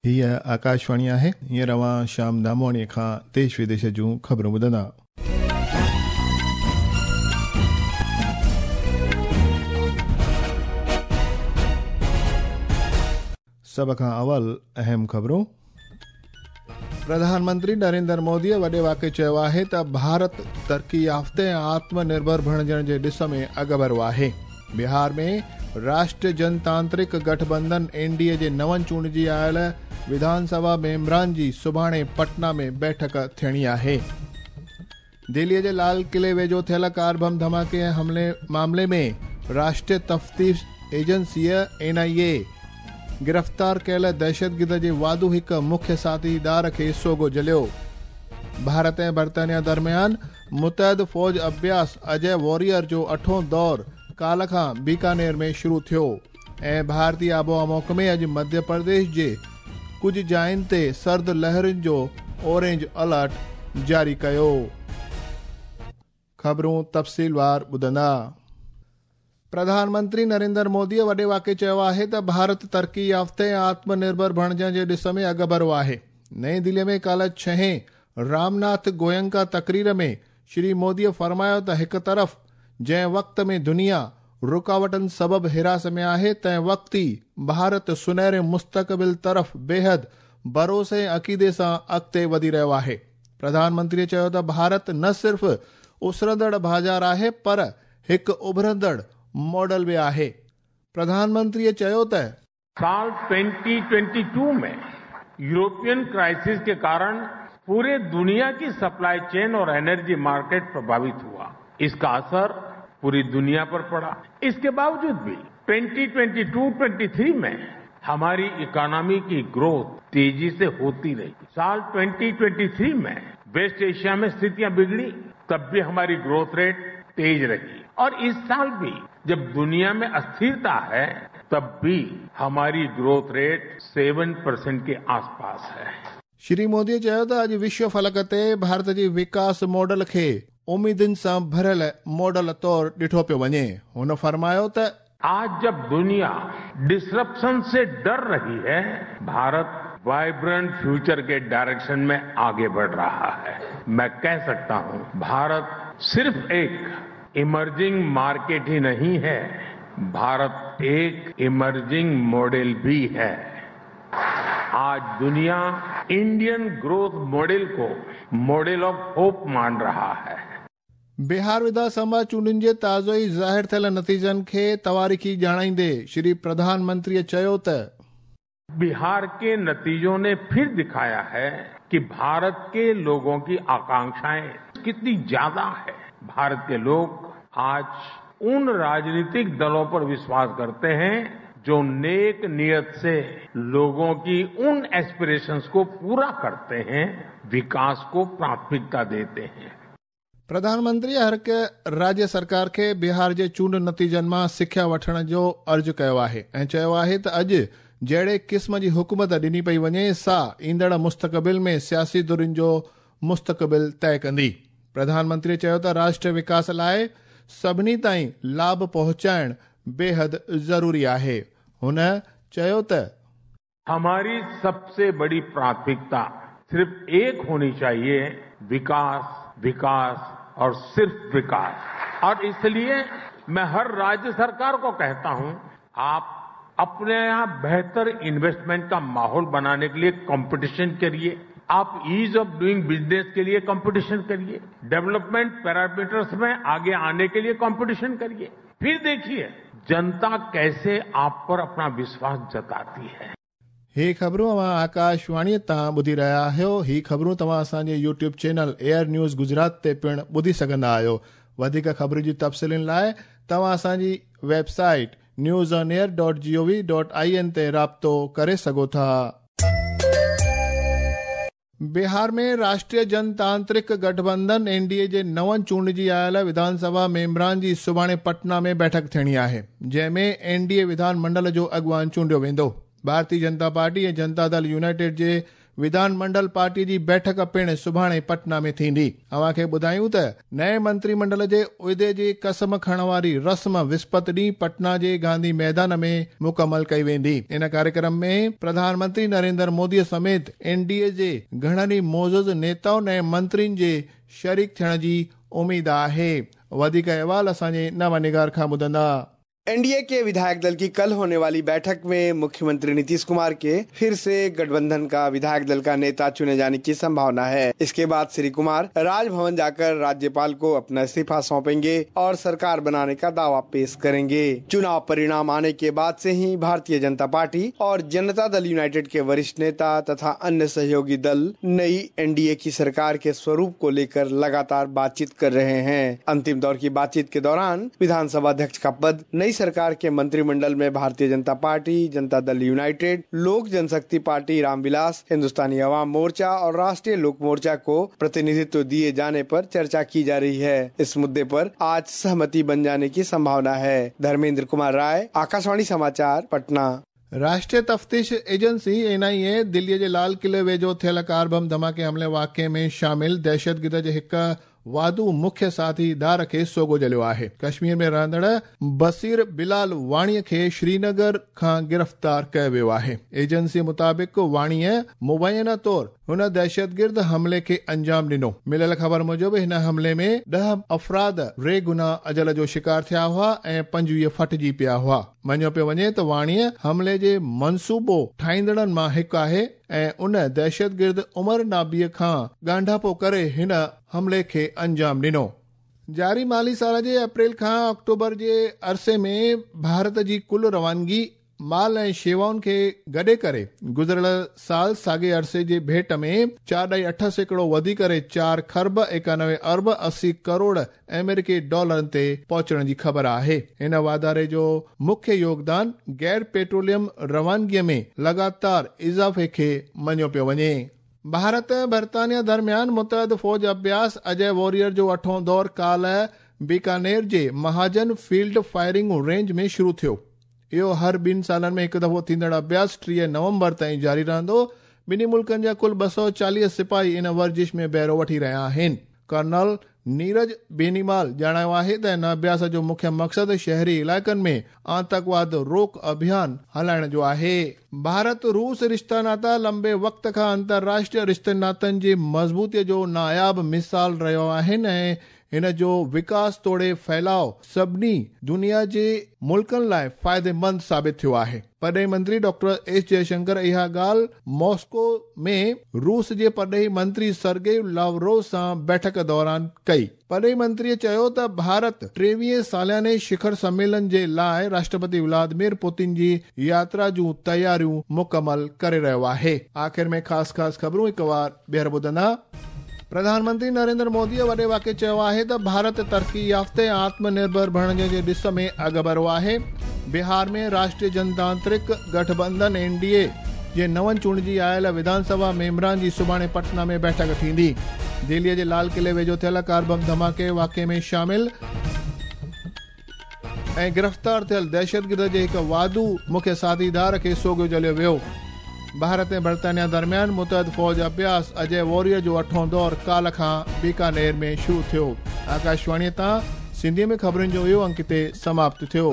هيء آڪاشواڻي آهي. هينئر اوهان شيام دامواڻيء کان ديش وديش جون خبرون ٻڌندا. سڀ کان اول اهم خبرون. پرڌان منتري نريندر موديء وڏي واڪي چيو آهي ته ڀارت ترقي يافته ۽ آتم نرڀر بڻجڻ جي ڏس ۾ اڳڀرو آهي. بهار ۾ راشٽريه جنتانترڪ گٺبنڌن اين ڊي اي جي نون چونڊجي آيل وڌان سڀا ميمبران جي سڀاڻي پٽنا ۾ بيٺڪ ٿيڻي آهي. دهليء جي لال قلعي ويجهو ٿيل ڪار بم ڌماڪي ۽ حملي معاملي ۾ راشٽريه تفتيش ايجنسيء، اين آء اي، گرفتار ڪيل دهشتگرد جي واڌو هڪ مکيه ساٿيدار کي سوگهو جهليو. ڀارت ۽ برطانيا درميان متحد فوج اڀياس اجي واريئر جو اٺون دور ڪالهه کان بيڪانير ۾ شروع ٿيو ۽ ڀارتي آبهوا محڪمي اڄ مڌيه پرديش جي ڪجهه جاين تي سرد لهرن جو اورينج الرٽ جاري ڪيو. خبرون تفصيلوار ٻڌندا. پرڌان منتري نريندر موديء وڏي واڪي چيو آهي ته ڀارت ترقي يافته ۽ آتم نرڀر بڻجڻ جي ڏس ۾ اڳڀرو آهي. نئين دهليء ۾ ڪالهه ڇهين رام ناٿ گوئنڪا تقرير ۾ شري موديء فرمايو ته هڪ طرف جنهن وقت ۾ دنيا رڪاوٽن سبب هراس ۾ آهي تنهن وقت ئي ڀارت سنهري مستقبل طرف بيحد ڀروسي ۽ عقيدي سان اڳتي وڌي رهيو آهي. پرڌان منتريء چيو ته ڀارت نه صرف اسرندڙ بازار آهي پر هڪ اڀرندڙ ماڊل به آهي. پرڌان منتريء چيو ته. سال 2022 ۾ यूरोपियन क्राइसिस के कारण पूरे दुनिया की सप्लाई चेन और एनर्जी मार्केट प्रभावित हुआ। इसका असर पूरी दुनिया पर पड़ा। इसके बावजूद भी 2022-23 में हमारी इकोनॉमी की ग्रोथ तेजी से होती रही। साल 2023 में वेस्ट एशिया में स्थितियां बिगड़ी, तब भी हमारी ग्रोथ रेट तेज रही और इस साल भी जब दुनिया में अस्थिरता है, तब भी हमारी ग्रोथ रेट 7% के आसपास है। श्री मोदीअ चयो त अॼु विश्व फलक ते भारत जी विकास मॉडल खे उम्मीदुनि सां भरियल मॉडल तौर ॾिठो पियो वञे। हुन फरमायो त आज जब दुनिया डिसरप्शन से डर रही है, भारत वाइब्रेंट फ्यूचर के डायरेक्शन में आगे बढ़ रहा है। मैं कह सकता हूं, भारत सिर्फ एक इमर्जिंग मार्केट ही नहीं है, भारत एक इमर्जिंग मॉडल भी है। आज दुनिया इंडियन ग्रोथ मॉडल को मॉडल ऑफ होप मान रहा है। बिहार विधानसभा चूंडुनि जे ताज़ो ई ज़ाहिर थियल नतीजनि खे तवारीख़ी ॼाणाईंदे श्री प्रधान मंत्रीअ चयो त बिहार के नतीजों ने फिर दिखाया है कि भारत के लोगों की आकांक्षाएं कितनी ज्यादा है। भारत के लोग आज उन राजनीतिक दलों पर विश्वास करते हैं जो नेक नियत से लोगों की उन एस्पिरेशंस को पूरा करते हैं, विकास को प्राथमिकता देते हैं। प्रधानमंत्री हर हिक राज्य सरकार खे बिहार जे चूंड नतीजनि मां सिख्या वठण जो अर्ज़ कयो आहे ऐं चयो आहे त अॼु जहिड़े क़िस्म जी हुकूमत ॾिनी पई वञे सा ईंदड़ मुस्तक़बिल में सियासी धुरियुनि जो मुस्तक़बिल तय कंदी। प्रधानमंत्री चयो त राष्ट्रीय विकास लाइ सभिनी ताईं लाभ पहुचाइण बेहद ज़रूरी आहे। हुन चयो त हमारी सबसे बड़ी प्राथमिकता सिर्फ एक होनी चाहिए, विकास, विकास और सिर्फ विकास। और इसलिए मैं हर राज्य सरकार को कहता हूं, आप अपने यहां बेहतर इन्वेस्टमेंट का माहौल बनाने के लिए कंपटीशन करिए, आप ईज ऑफ डूइंग बिजनेस के लिए कंपटीशन करिए, डेवलपमेंट पैरामीटर्स में आगे आने के लिए कंपटीशन करिए, फिर देखिए जनता कैसे आप पर अपना विश्वास जताती है। ही ख़बरूं अव्हां आकाशवाणीअ तां ॿुधी रहिया आहियो। ही ख़बरूं तव्हां असांजे YouTube channel air news Gujarat ते पिणु ॿुधी सघंदा आहियो। वधीक ख़बरुनि जी तफ़सीलुनि लाइ तव्हां असांजी वेबसाइट newsonair.gov.in ते राब्तो करे सघो था। बिहार में राष्ट्रीय जनतांत्रिक गठबंधन एन डी ए जे नवनि चूंडजी आयल विधानसभा मेंबरान जी सुभाणे पटना में बैठक थियणी आहे, जंहिं में एन डी ए विधान मंडल जो अॻुवान चूंडियो वेंदो। भारतीय जनता पार्टी ऐं जनता दल यूनाइटेड जे وڌان منڊل پارٽي جي بيٺڪ پڻ سڀاڻي پٽنا ۾ ٿيندي. اوهان کي ٻڌايون ته نئين منتري منڊل جي عهدي جي قسم کڻڻ واري رسم وسپت ڏينهن پٽنا جي گانڌي ميدان ۾ مڪمل ڪئي ويندي. ان ڪاريڪرم ۾ پرڌان منتري نريندر مودي سميت اين ڊي اي جي گهڻن ئي معزز نيتائن ۽ منترين جي شريڪ ٿيڻ جي اميد آهي. وڌيڪ احوال اسان جي نوانگار کان ٻڌندا. एनडीए के विधायक दल की कल होने वाली बैठक में मुख्यमंत्री नीतीश कुमार के फिर से गठबंधन का विधायक दल का नेता चुने जाने की संभावना है। इसके बाद श्री कुमार राजभवन जाकर राज्यपाल को अपना इस्तीफा सौंपेंगे और सरकार बनाने का दावा पेश करेंगे। चुनाव परिणाम आने के बाद से ही भारतीय जनता पार्टी और जनता दल यूनाइटेड के वरिष्ठ नेता तथा अन्य सहयोगी दल नई एनडीए की सरकार के स्वरूप को लेकर लगातार बातचीत कर रहे हैं। अंतिम दौर की बातचीत के दौरान विधानसभा अध्यक्ष का पद नई सरकार के मंत्रिमंडल में भारतीय जनता पार्टी, जनता दल यूनाइटेड, लोक जनशक्ति पार्टी, रामविलास, हिंदुस्तानी अवाम मोर्चा और राष्ट्रीय लोक मोर्चा को प्रतिनिधित्व दिए जाने पर चर्चा की जा रही है। इस मुद्दे पर आज सहमति बन जाने की संभावना है। धर्मेंद्र कुमार राय, आकाशवाणी समाचार, पटना। राष्ट्रीय तफ़्तीश एजेंसी एन आई ए दिल्लीअ जे लाल किले वेझो थियल कार बम धमाके हमले वाक़िए में शामिल दहशतगिर्द जे हिकु वाधू मुख्य साथीदार खे सोगो जलियो आहे। कश्मीर में रहंदड़ बसीर बिलाल वाणीअ खे श्रीनगर खां गिरफ़्तार कयो वियो आहे। एजेंसी मुताबिक़ वाणीअ मुबैना तौर हुन दहशतगिर्द हमले खे अंजाम ॾिनो। मिलियल ख़बर मूजिबि हिन हमले में 10 अफ़राद बेगुनाह अजल जो शिकार थिया हुआ ऐं 25 फटिजी पिया हुआ। मञियो पियो वञे त वाणीअ हमले जे मनसूबो ठाहींदड़नि मां हिकु आहे ऐं उन दहशतगिर्द उमर नाबीअ खां ॻांढापो करे हिन हमले खे अंजाम ॾिनो। जारी माली साल जे अप्रैल खां अक्टूबर जे अरसे में भारत जी कुल रवानगी माल ऐं शेवाउनि खे गॾे करे गुज़िरियल साल साॻे अरसे जे भेंट में 4.8% वधी करे 4 खरब 91 अरब 80 करोड़ अमेरिकी डॉलरनि ते पहुचण जी ख़बर आहे। हिन वाधारे जो मुख्य योगदान गैर पेट्रोलियम रवानगीअ में लगातार इज़ाफ़े खे मञियो पियो वञे। भारत ऐं बरितानिया दरमियान मुतहद फ़ौज अभ्यास अजय वॉरियर जो अठों दौर काल्ह बीकानेर जे महाजन फील्ड फायरिंग रेंज में शुरू थियो। इहो हर 2 सालनि में हिकु दफ़ो थींदड़ अभ्यास 30 नवंबर ताईं जारी रहंदो। ॿिन्ही मुल्कनि जा कुल 240 सिपाही इन वर्जिश में बहिरो वठी रहिया आहिनि। कर्नल नीरज बेनीवाल ॼाणायो आहे त हिन अभ्यास जो मुख्य मक़सदु शहरी इलाइक़नि में आतंकवाद रोक अभियान हलाइण जो आहे। भारत रूस रिश्ता नाता लंबे वक़्त खां अंतर्राष्ट्रीय रिश्तनि नातनि जी मज़बूतीअ जो नायाब मिसाल रहियो आहिनि ऐं हिन जो विकास तोड़े फैलाव सभिनी दुनिया जे मुल्कनि लाइ फ़ाइदेमंद साबित थियो आहे। परॾेही मंत्री डॉक्टर एस जयशंकर इहा ॻाल्हि मॉस्को में रूस जे परॾेही मंत्री सर्गेई लावरोव सां बैठक दौरान कई। परॾेही मंत्रीअ चयो त भारत 23 सालाने शिखर सम्मेलन जे लाइ राष्ट्रपति व्लादिमीर पुतिन जी यात्रा जूं तयारियूं मुकमल करे रहियो आहे। आख़िर में ख़ासि ख़ासि ख़बरूं हिकु वार ॿीहर ॿुधंदा। प्रधानमंत्री नरेंद्र मोदीअ वॾे वाक़े चयो आहे त भारत तरक़ी याफ़्ते आत्मनिर्भर बणिजण जे ॾिस में अॻुभरो आहे। बिहार में राष्ट्रीय जनतांत्रिक गठबंधन एनडीए जे नवनि चूंडिजी आयल विधानसभा मेंबरान जी सुभाणे पटना में बैठक थींदी। दिल्लीअ जे लाल किले वेझो थियल कार बम धमाके वाक़िए में शामिल ऐं गिरफ़्तार थियल दहशतगिर्द जे हिकु वाधू मुख्य साथीदार खे सोगो जलियो वियो। भारत ऐं बरितानिया दरमियान मुतहद फ़ौज अभ्यास अजय वॉरियर जो अठों दौर काल्ह खां बीकानेर में शुरू थियो। आकाशवाणीअ तां सिंधीअ में ख़बरुनि जो इहो अंक हिते समाप्त थियो।